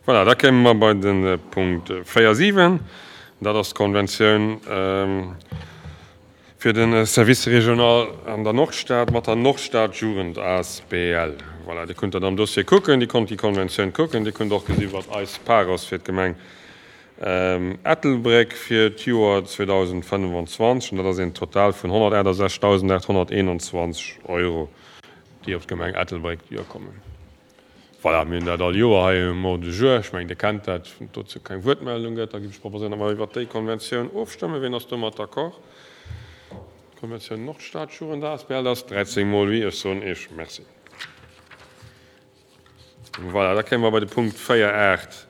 Voilà, da kéime mer bei de Punkt 4, 7. Dat ass d'Konventioun fir de Service régional an der Nordstad mat der Nordstad Jugend asbl. Voilà, Dir kunnt dat am Dossier kucken, Dir konnt déi Konventioun kucken, Dir kunnt och gesi wat eis Part ass fir d'Gemeng Ettelbréck fir d'Joer 2025. An dat ass een Total vun 168.821 Euro, déi op d'Gemeng Ettelbréck duerkommen. Voilà, mir hunn dat all Joer hei um Ordre du jour. Ech mengen, Dir kennt dat. Wann et dozou keng Wuertmeldung gëtt, da géif ech proposéieren, datt mer iwwert déi Konventioun ofstëmmen. Wien ass domat d'accord? D'Konventioun Nordstad-Jugend asbl ass 13 mol oui. Ech soen Iech Merci. Voilà, da kéime mer bei de Punkt 4, 8.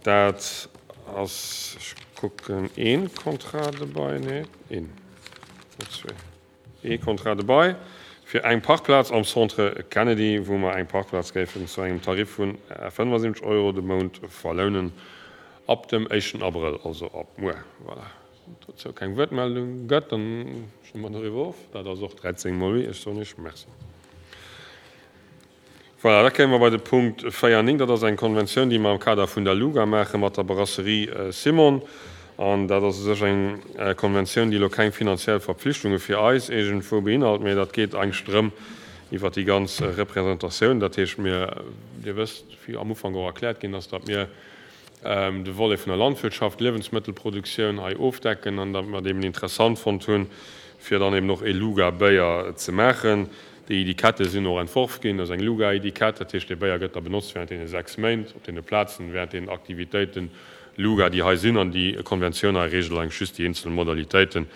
Dat ass, ech kucken, ee Contrat de bail, nee, een, net zwee. Ee Contrat de bail fir eng Parkplaz am Centre Kennedy, wou mer eng Parkplaz géifen zu engem Tarif vun 75 Euro de Mount verlounen, ab dem éischten Abrëll, also ab muer. Voilà. Wann et dozou keng Wuertmeldung gëtt, dann stëmme mer doriwwer of. Dat ass och 13 mol oui. Ech soen Iech Merci. Voilà, da kéime mer bei de Punkt 4, 9. Dat ass eng Konventioun, déi mer am Kader vun der LUGA maache mat der Brasserie Simon. An dat ass u sech eng Konventioun, déi elo keng finanziell Verpflichtunge fir eis iergendwou beinhalt, mä dat geet eigentlech drëm iwwert déi ganz Representatioun. Dat heescht, mir, Dir wësst, wéi am Ufank och erkläert ginn ass, datt mir de Volet vun der Landwirtschaft, Liewensmëttelproduktioun hei ofdecken an datt mer et eben interessant fonnt hunn, fir dann eben och e LUGA-Béier ze maachen. Déi Etikette sinn och entworf ginn, dat ass eng Luga-Etikett, dat heescht, dee Béier gëtt da benotzt während deene 6 Méint op deene Plazen, während deenen Aktivitéiten Luga, déi hei sinn. An déi Konventioun hei reegelt eigentlech just déi eenzel Modalitéiten.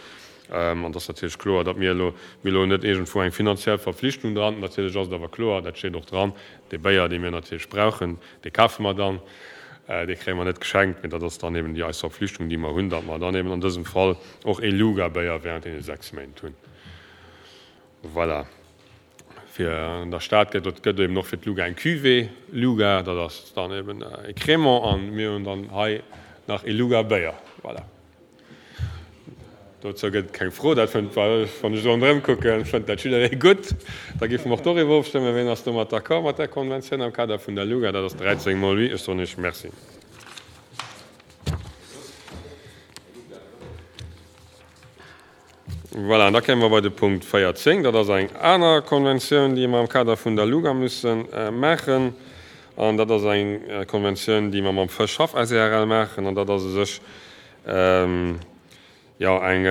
An et ass natierlech kloer, datt mir elo, mir elo net iergendwou eng finanziell Verpflichtung dran. Natierlech ass et awer kloer, dat steet och dran, dee Béier, dee mir natierlech brauchen, dee kafe mer dann, dee kréie mer net geschenkt, mee dat ass dann eben déi eis Verpflichtung, déi mer hunn, datt mer dann eben an dësem Fall och ee Luga-Béier während deene 6 Méint hunn. Voilà. Fir an der Stad gëtt et gëtt eben och fir d'Luga eng Cuvée Luga, dat ass dann eben e Crémant an mir hunn dann hei nach e Luga Béier. Voilà. Dozou gëtt et keng Fro, dat fënnt, wann ech esou ronderëm kucken, fënnt dat jidderee gutt. Da géife mer och doriwwer ofstëmmen. Wien ass domat d'accord mat där Konventioun am Kader vun der Luga? Dat ass 13 mol oui. Ech soen Iech Merci. Voilà, an da kéime mer bei de Punkt 14. Dat ass eng aner Konventioun, déi mer am Kader vun der LUGA musse maachen. An dat ass eng Konventioun, déi mer mam Fëschhaff SARL maachen. An dat ass u sech, jo, eng,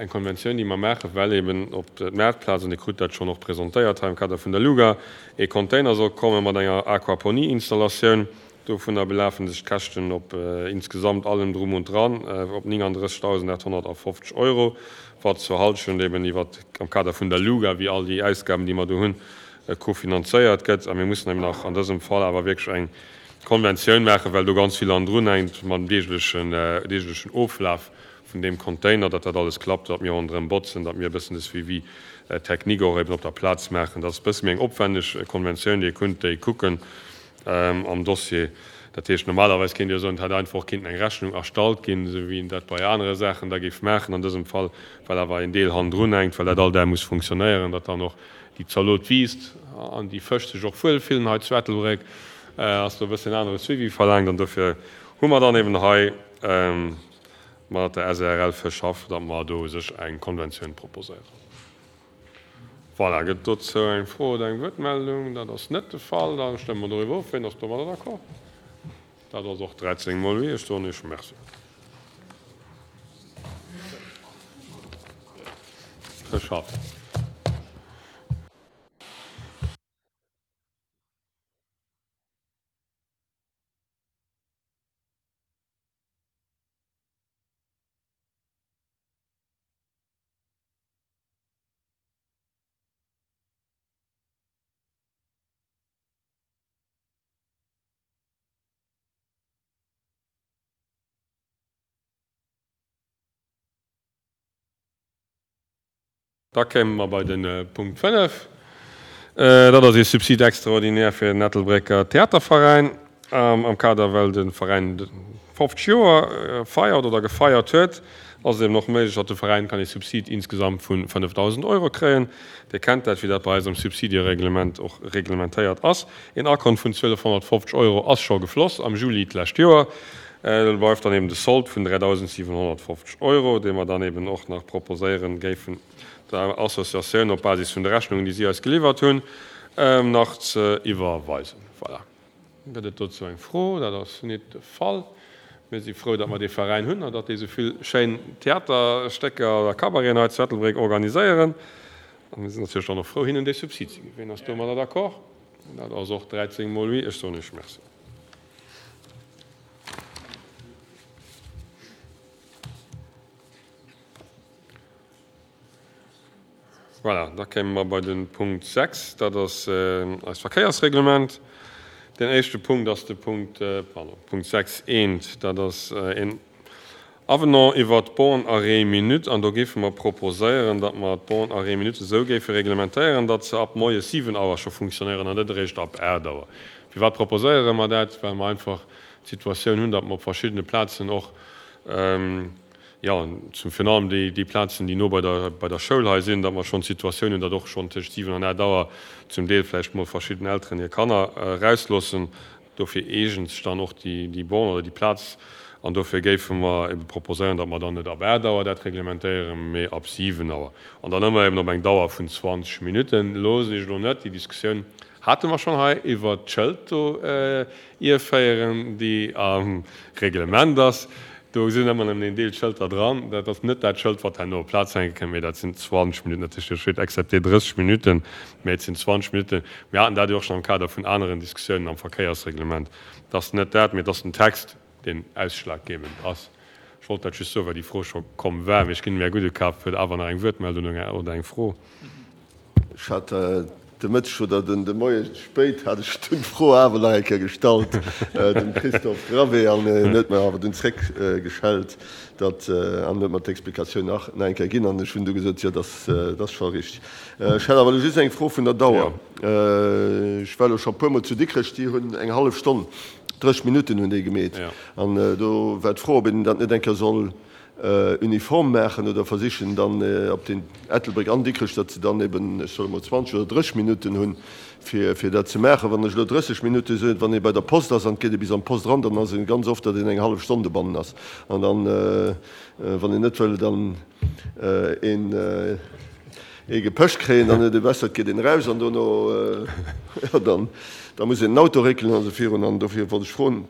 eng Konventioun, déi mer maachen, well eben op d'Maartplaz, an Dir krut dat schonn och presentéiert hei am Kader vun der LUGA, ee Container soll komme mat enger Aquaponieinstallatioun. Dovunner belafen sech d'Käschten op insgesamt allem drum und dran op 39.850 Euro, wat zur Halschent eben iwwer am Kader vun der LUGA, wéi all déi Ausgaben, déi mer do hunn, kofinanzéiert gëtt. A mir mussen eben nach an dësem Fall awer wierklech eng Konventioun maachen, well do ganz vill hannendrun hänkt mam deeglechen, deeglechen Oflaf vun deem Container, datt dat alles klappt, datt mir ronderëm botzen, datt mir e bëssen de Suivi technique och eben op der Plaz maachen. Dat ass e bësse méi eng opwänneg Konventioun. Dir kunnt déi kucken. am Dossier. Dat heescht, normalerweis kéint Dir soen, et hätt einfach och kinnten eng Rechnung erstallt ginn, esou wéi een dat bei anere Saachen da géif maachen. An dësem Fall, well awer een Deel hannendrun hänkt, well dat all Dag muss funktionéieren, datt dann och déi Zalot wiisst an déi Fësch sech och wuel fillen hei zu Ettelbréck, ass do e bëssen anere Suivi verlaangt. An dofir hu mer dann eben hei mat der SARL Fëschhaff, datt mer do u sech eng Konventioun proposéieren. Voilà, gëtt dozou eng Fro oder eng Wuertmeldung? Dat ass net de Fall. Da stëmme mer doriwwer of. Wien ass domadder d'accord? Dat ass och 13 mol oui. Ech soen Iech Merci. Geschafft. Da kéime mer bei de Punkt 5. Dat ass ee Subside extraordinaire fir den Ettelbrécker Theaterveräin am Kader, well de Veräin 50 Joer feiert oder gefeiert huet. Ass et eben och méiglech, datt de Veräin kann ee Subsid insgesamt vu 5.000 Euro kréien. Dir kennt dat, wéi dat bei eis am Subsidiereglement och reglementéiert ass. Een Akont vun 1.250 Euro ass scho gefloss am Juli d'lescht Joer. Do bleift dann eben de Sold vun 3.750 Euro, dee mer dann eben och nach proposéieren géifen der Associatioun op Basis vun de Rechnungen, déi si eis geliwwert hunn, nach ze iwwerweisen. Voilà. Gëtt et dozou eng Fro? Dat ass nit de Fall. Mir si frou, datt mer dee Veräin hunn an datt déi esou vill schéin Theaterstécker a Cabareten hei zu Ettelbréck organiséieren. A mir sinn natierlech dann och frou, hinnen dee Subsid ze ginn. Ween ass domadder d'accord? Dat ass och 13 mol oui. Ech soen Iech Merci. Voilà, da kéime mer bei de Punkt 6, dat ass eist Verkéiersreglement. Deen éischte Punkt ass de Punkt, pardon, Punkt 6 eent, dat ass een Avenant iwwert d'Borne arrêt minute. An do géife mer proposéieren, datt mer d'Borne arrêt minute esou géife reglementéieren, datt se ab moies 7 Auer scho funktionéieren an net eréischt ab 8 Auer. Firwat proposéiere mer dat? Well mer einfach d'Situatioun hunn, datt mer op verschiddene Plazen och, jo, zum virun allem déi, déi Plazen, déi no bei der, bei der Schoul hei sinn, datt mer schonn d'Situatioun hunn, datt och schonn tëscht 7 an 8 Auer zum Deel vläicht mol verschidden Elteren hir Kanner erausloossen. Dofir eegent sech dann och déi, déi Borne oder déi Plaz. An dofir géife mer ebe proposéieren, datt mer dann net ab 8 Auer dat reglementéieren, mee ab 7 Auer. An dann ëmmer eben op eng Dauer vun 20 Minutten. Loossen ech elo net déi Diskussioun hate mer schonn hei iwwert d'Schëld do ierféieren, déi am Reglement ass. Do sinn ëmmer nëmmen een Deel Schëlter dran. Dat ass net dat Schëld, wat herno op d'Plaz hänke kënnt, mee dat sinn 20 Minutten. Dat heescht, do steet excepté 30 Minutten, mee et sinn 20 Minutten. Mir haten dat jo och schonn am Kader vun aneren Diskussiounen am Verkéiersreglement. Et ass net dat, mee et ass den Text, deen ausschlaggebend ass. Ech wollt dat just soen, well déi Fro scho komm war. Mee ech ginn dem Här Gudekap huet awer nach eng Wuertmeldung oder eng Fro. Ech hat de Mëtteg oder de Moie spéit hat ech dunn d'Fro awer nach eng Kéier gestallt dem Christophe Gravé an en huet mer awer dunn zréckgeschellt, datt, an huet mer d'Explikatioun nach eng Kéier ginn an ech hunn du gesot, jo, dat ass scho richteg. Ech hätt awer elo just eng Fro vun der Dauer. Ech war elo scho e puermol zu Dikrech, déi hunn eng hallef Stonn, 30 Minutten hunn déi gemeet an do war d'Fro, ob een dat net eng Kéier soll uniform maachen oder versichen dann op den Ettelbréck an Dikrech, datt se dann eben, ech soe mol 20 oder 30 Minutten hunn, fir fir dat ze maachen. Wann ech elo 30 Minutte soen, wann ee bei der Post ass an et geet ee bis an d'Post eran, dann ass ee ganz oft, datt een eng hallef Stonn dobannen ass. An dann, wann een net wëll dann een ee gepëscht kréien, dann huet ee besser, et geet een eraus an dono, jo, dann da muss een den Auto réckelen an esou virun. An dofir wollt ech froen,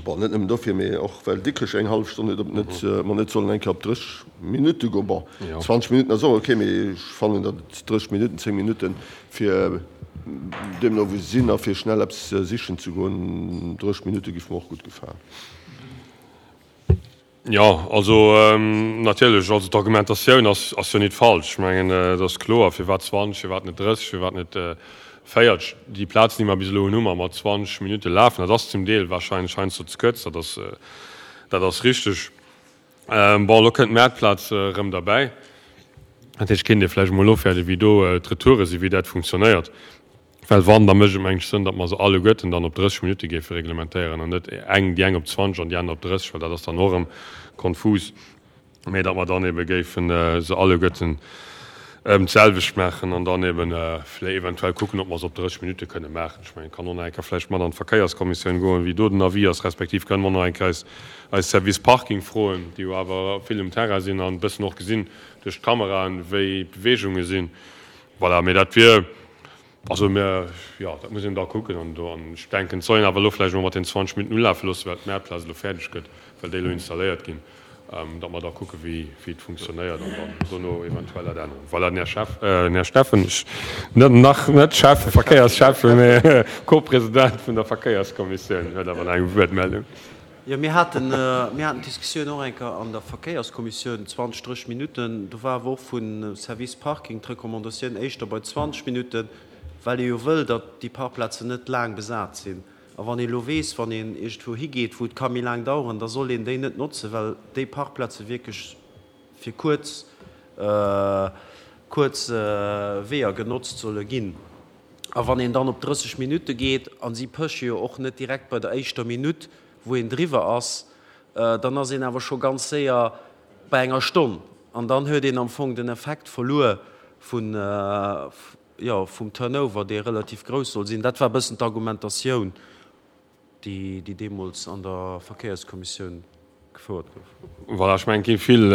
Bon, net nëmmen dofir, mee och well Dikrech eng hallef Stonn huet, ob net, mer net sollen eng Kéier op 30 Minutte goen. Bon, 20 Minutten ass och ok, mee ech fannen, datt et 30 Minutten, 10 Minutten, fir deemno wou se sinn a fir schnell eppes sichen ze goen, 30 Minutte giff mer och gutt gefalen. Jo, also natierlech, also d'Argumentatioun ass ass jo nit falsch. Ech mengen, et ass kloer, firwat 20, firwat net 30, firwat net 40. Déi Plazen, déi mer bis elo hunn, hu mer mat 20 Minutte lafen. Dat ass zum Deel wahrscheinlech heiansdo ze kuerz, dat ass dat ass richteg. Bon, elo kënnt d'Maartplaz erëm derbäi. Dat heescht, kéint ee vläicht emol ofwäerden, wéi do d'Retoure sinn, wéi dat funktionéiert. Well wann, da mécht et mengen ech Sënn, datt mer se alleguerten dann op 30 Minutte géife reglementéieren an net eng, déi eng op 20 an déi aner op 30, well dat ass dann och erëm konfus, mä datt mer dann ebe géife se alleguerten d'selwecht maachen an dann ebe vläi eventuell kucken, ob mer se op 30 Minutte kënne maachen. Ech mengen, et kann och nach eng Kéier vläicht mat an d'Verkéierskommissioun goen, wéi do den Avis ass, respektiv kënne mer och nach eng Kéier eis, eis Service Parking froen, déi jo awer vill um Terrain sinn an e bëssen och gesinn duerch d'Kameraen, wéi d'Beweegunge sinn. Voilà, mee dat wier, also mir, jo, dat muss een da kucken. An do, an ech denken, et soll een awer elo vläicht emol mat den 20 Minutten ulafe loossen, well d'Maartplaz elo fäerdeg gëtt, well déi elo installéiert ginn, datt mer da kucke wéi, wéi et funktionéiert an dann dono eventuell dat änneren. Voilà, den Här Schäff, den Här Steffen, ech, net, nach net Schäffe, Verkéiersschäffe, mee Co-President vun der Verkéierskommissioun, huet awer nach eng Wuertmeldung. Jo, mir haten, mir haten d'Diskussioun och eng Kéier an der Verkéierskommissioun, 20, 30 Minutten. Do war awer och vum Service Parking d'Recommandatioun éischter bei 20 Minutten, well ee jo wëll, datt déi Parkplazen net laang besat sinn. A wann ee elo weess, wann een iergendwou higeet, wou et ka méi laang daueren, da soll een déi net notzen, well déi Parkplaze wierklech fir kuerz, kuerz Weeër genotzt solle ginn. A wann een dann op 30 Minutte geet, a si pësche jo och net direkt bei der éischter Minutt, wou een driwwer ass, dann ass een awer scho ganz séier. Bei enger Stonn. An dann huet een am Fong den Effekt verluer vun, jo, vum Turnover, dee relativ grouss soll sinn. Dat war e bëssen d'Argumentatioun, déi, déi deemools an der Verkéierskommissioun gefouert gouf. Voilà, ech mengen, et gi vill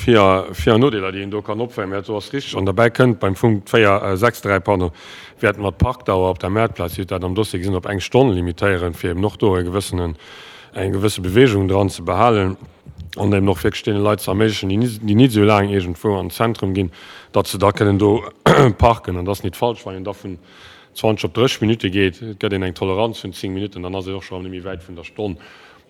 Vir a Nodeeler, déi een do kann opféieren, mä dat do ass richteg. An derbäi kënnt, beim Punkt 4, 6, 3, pardon, wäerte mer d'Parkdauer op der Maartplaz, Dir hutt dat am Dossier gesinn, op eng Stonn limitéieren, fir eben och do e gewëssenen, eng gewësse Bewegung dran ze behalen an eben och wierklech deene Leit ze erméiglechen, déi nit esou laang iergendwou an den Zentrum ginn, datt se da kënnen do parken. An et ass nit falsch, wann een da vun 20 op 30 Minutte geet, et gëtt een eng Toleranz vun 10 Minutten, dann ass een och scho erëm net méi wäit vun der Stonn.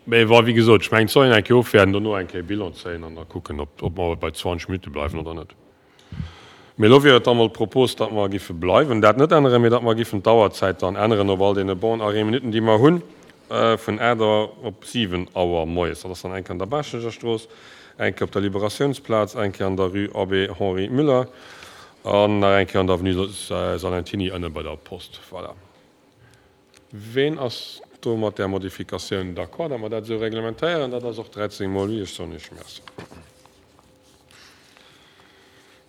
Mee bon, wéi gesot, ech mengen, et soll een eng Kéier ofwäerden, dono eng Kéier Bilan zéien an da kucken, ob ob mer bei 20 Minutte bleiwen oder net. Mee elo wier et da mol d'Propos, datt mer giffe bleiwen, dat net änneren, mee datt mer giffen d'Auerzäit dann änneren op all deene Born-Arrêt-Minutten, déi mer hunn, vun 8 Auer op 7 Auer moies. Dat ass dann eng Kéier an der Baaschtnecher Strooss, eng Kéier op der Liberatiounsplaz, eng Kéier an der Rue Abbé Henri Müller an nach eng Kéier an der Avenue Salentiny ënne bei der Post. Voilà. Ween ass do mat där Modifikatioun d'accord, datt mer dat esou reglementéieren? Dat ass och 13 mol oui. Ech soen Iech Merci.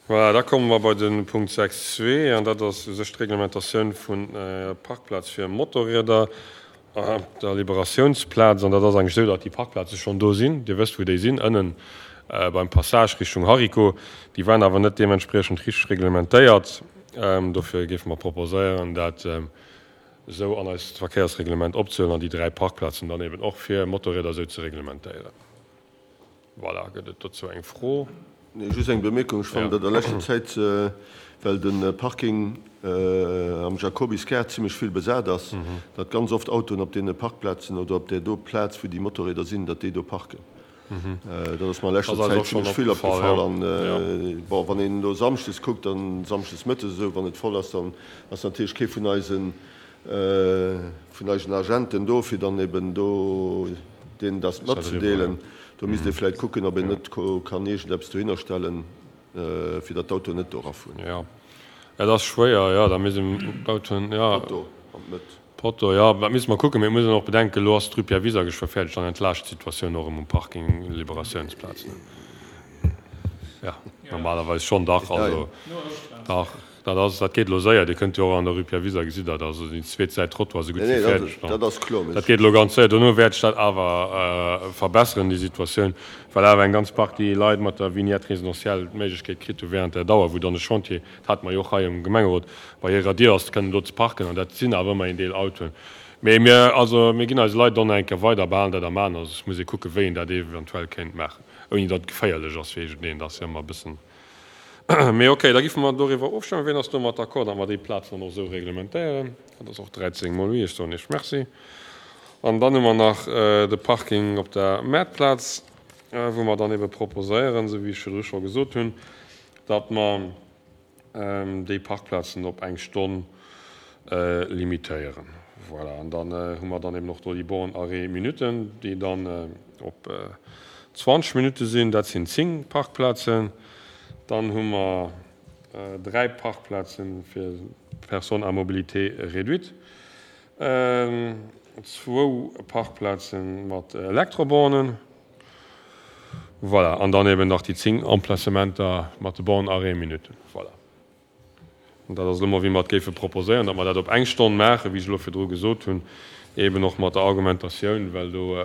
Voilà, da komme mer bei de Punkt 6.2, an dat ass u sech d'Reglementatioun vun Parkplaz fir Motorrieder op der Liberatiounsplaz. An dat ass eigentlech esou, datt déi Parkplaze schonn do sinn. Dir wësst, wou déi sinn, ënnen beim Passage Richtung Hariko. Déi waren awer net deementspriechend richteg reglementéiert. Dofir géife mer proposéieren, dat esou an eist Verkéiersreglement opzehuelen an déi 3 Parkplazen dann eben och fir Motorrieder esou ze reglementéieren. Voilà, gëtt et dozou eng Fro? Nee, just eng Bemierkung. Ech fannen, datt a leschter Zäit, well de Parking am Jacobisgaart zimlech vill besat ass, datt ganz oft Autoen op deene Parkplazen oder op där do Plaz, wou déi Motorrieder sinn, datt déi do parken. Dat ass mer a leschter Zäit zimlech vill opgefall. An, bon, wann een elo samschdes kuckt, dann samschdes mëttes esou, wann et voll ass, dann ass natierlech kee vun eisen, vun eisen Agenten do, fir dann eben do deenen dat matzedeelen. Do misst ee vläicht kucken, ob een net kann iergendeppes dohinner stellen, fir datt d'Autoen net do erafueren. Jo, et ass schwéier, jo, da misst een d'Autoen, jo. Potto an d'Mëtt. Potto, jo, dat misste mer kucken. Mee et muss een och bedenken, elo ass d'Rue Pierre Wiser geschwë fäerdeg, dann entlaascht d'Situatioun och erëm um Parking Liberatiounsplaz, ne? Jo, normalerweis schonn, dach, also, dach, dat ass, dat geet elo séier. Dir kënnt jo och an der Rue Pierre Wiser, gesitt Der, also déi zweet Säit Trottoir esou gutt wéi fäerdeg. Dat ass kloer, Dat geet elo ganz séier. Dono wäert sech dat awer verbesseren, déi Situatioun, well awer eng ganz Partie Leit mat der Vignette résidentielle d'Méiglechkeet kritt hu während der Dauer, wou dann de Chantier, dat hate mer jo och hei am Gemengerot, bei hirer Dier ass, kënnen do ze parken, an dat sinn awer ëmmer een Deel Autoen. Mee mir, also mir ginn eise Leit dann nach eng Kéier weider a behalen dat am An. Also et muss ee kucken, wéi een dat eventuell kéint maachen, ouni datt et geféierlech ass fir iergendeen. Dat ass jo ëmmer e bëssen. Mee okay, da giffe mer doriwwer ofstëmmen. Wien ass domat d'accord, datt mer déi Plazen dann och esou reglementéieren? Dat ass och 13 mol oui. Ech soen Iech Merci. An dann hu mer nach de Parking op der Maartplaz, wou mer dann ebe proposéieren, esou wéi ech virdru scho gesot hunn, datt mer déi Parkplazen op eng Stonn limitéieren. Voilà, an dann hu mer dann eben och do déi Bornes arrêt minuten, déi dann op 20 Minutte sinn. Dat sinn 10 Parkplazen. Dann hu mer 3 Parkplaze fir Personnes à mobilité réduite, zwou Parkplaze mat Elektrobornen. Voilà, an dann eben nach déi 10 Emplacementer mat de Bornes arrêt minuten. Voilà. An dat ass elo mol, wéi mer et géife proposéieren, datt mer dat op eng Stonn maachen, wéi ech elo virdru gesot hunn, eben och mat der Argumentatioun, well do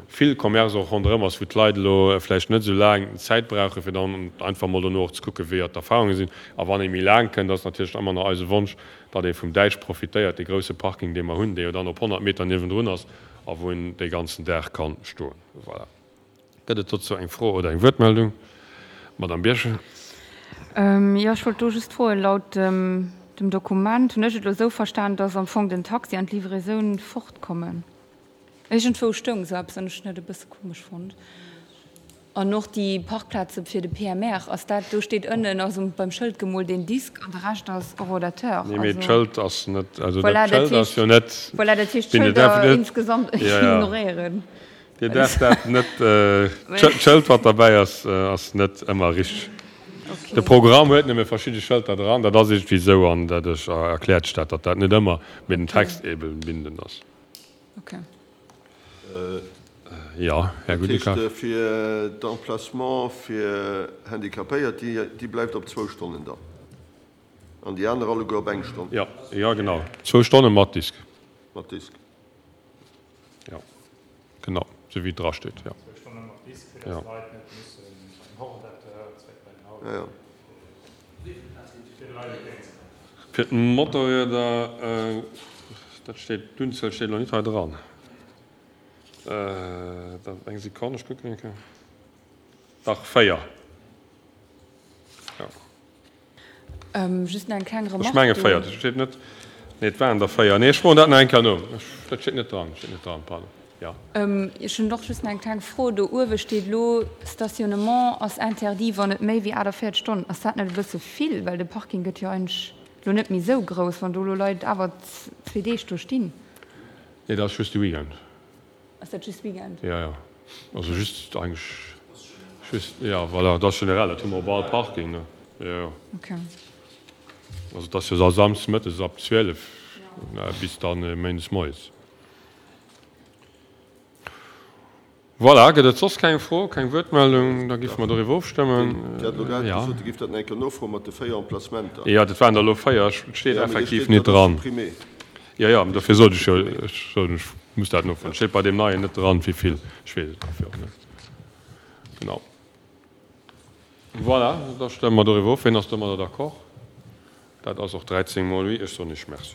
vill Commerce och ronderëm ass, wou d'Leit elo vläicht net esou laang Zäit brauchen, fir dann einfach mol dono och ze kucken, wéi d'Erfahrunge sinn. A wann ee méi laang kënnt, ass natierlech ëmmer nach eise Wonsch, datt ee vum Däitsch profitéiert, dee grouse Parking, dee mer hunn, dee jo dann op 100 Meter niewendrun ass a wou een dee ganzen Dag ka stoen. Voilà. Gëtt et dozou eng Fro oder eng Wuertmeldung? Madamm Birchen. Jo, ech wollt do just froen, laut dem Dokument hunn ech et elo esou verstan, dass am Fong den Taxi an d'Livraisoun fortkommen. Iergendwou stoung esou eppes an ech hunn dat e bësse komesch fonnt. An och déi Parkplaze fir de PMR, ass dat, do steet ënnen, ass um, beim Schëld gemoolt een Disk an de Rescht ass Orodateur. Nee, mee d'Schëld ass net, also dat Schëld ass jo net. Voilà, dat heescht d'Schëlder insgesamt ignoréieren. Dir däerft dat net, d'Schëld wat derbäi ass, ass net ëmmer richteg. De Programm huet nëmme verschidde Schëlter dran, dat ass iergendwéi esou an dat erkläert sech dat, datt dat net ëmmer, mee den Text eeben bindend ass. Okay. Jo, Här Dat heescht, Gudekaf. fir d'Emplacement fir Handicapéiert, déi bleift op zwou Stonnen dann. An déi aner alleguer op eng Stonn. Jo, jo, genau. Zwou Stonne mat Disk. Mat Disk. Jo, genau, sou wéi et drasteet, jo. Zwou Stonne mat Disk, fir dass d'Leit net mussen beim Hordateur, zréck bei den Auto, fir de Leit entgéint ze kommen. Fir d'Motorrieder, dat steet, d'Unzuel steet elo net hei dran. Eng Sekonn, ech kucken eng Kéier. Dach, 4. Jo. Just nach eng kleng Remarque Ech menge do. 4, dat steet net. Nee, et waren der 4. Nee, ech froen dat nach eng Kéier no. Dat steet net dran, steet net dran, pardon. Jo. Ech hunn och just nach eng kleng Fro. Do uewe steet elo, Stationnement ass interdit, wann et méi wéi 48 Stonnen. Ass dat net e bësse vill? Well de Parking gëtt jo eigentlech elo net méi esou grouss, wann do elo Leit awer zwee Deeg do stinn. Nee, dat ass just de Weekend. Ass dat just Weekend? Jo, jo. Also just eigentlech just, jo, voilà, dat ass generell, dat hu mer op all Parking, ne? Jo, jo. Okay. Also et ass jo da samsdes mëttes ab 12 bis dann méindes moies. Voilà, gëtt et soss keng Fro, keng Wuertmeldung? Da géife mer doriwwer ofstëmmen. Dir hat elo grad gesot, Dir géift dat nach eng Kéier nofroen mat de 4 Emplacementer. Jo, dat waren der elo 4. Et steet effektiv net dran. Jo, jo, dofir sot ech jo, ech sot, ech muss dat nofroen. Et steet bei deem neien net dran, wéi vill. Ech weess et dofir och net. Genau. Voilà, da stëmme mer doriwwer of. Wien ass domadder d'accord? Dat ass och 13 mol oui. Ech soen Iech Merci.